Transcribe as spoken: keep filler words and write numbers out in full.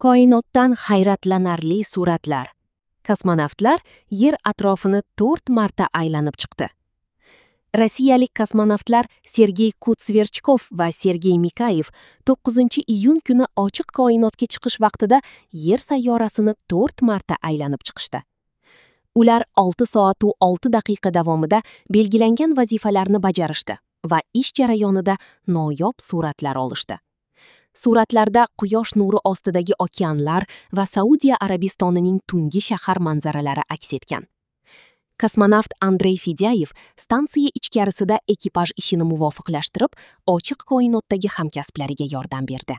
Koinotdan hayratlanarli suratlar. Kosmonavtlar Yer atrofini to'rt marta aylanib chiqdi. Rossiyalik kosmonavtlar Sergey Kud-Sverchkov va Sergey Mikayev to'qqizinchi iyun kuni ochiq koinotga chiqish vaqtida Yer sayyorasini to'rt marta aylanib chiqishdi. Ular olti soat va olti daqiqa davomida belgilangan vazifalarni bajarishdi va ish jarayonida noyob suratlar olishdi. Suratlarda quyosh nuri ostidagi okeanlar va Saudiya Arabistonining tungi shahar manzaralari aks etgan. Kosmonavt Andrey Fedyayev stansiya ichkarisida ekipaj ishini muvofiqlashtirib, ochiq koinotdagi hamkasblariga yordam berdi.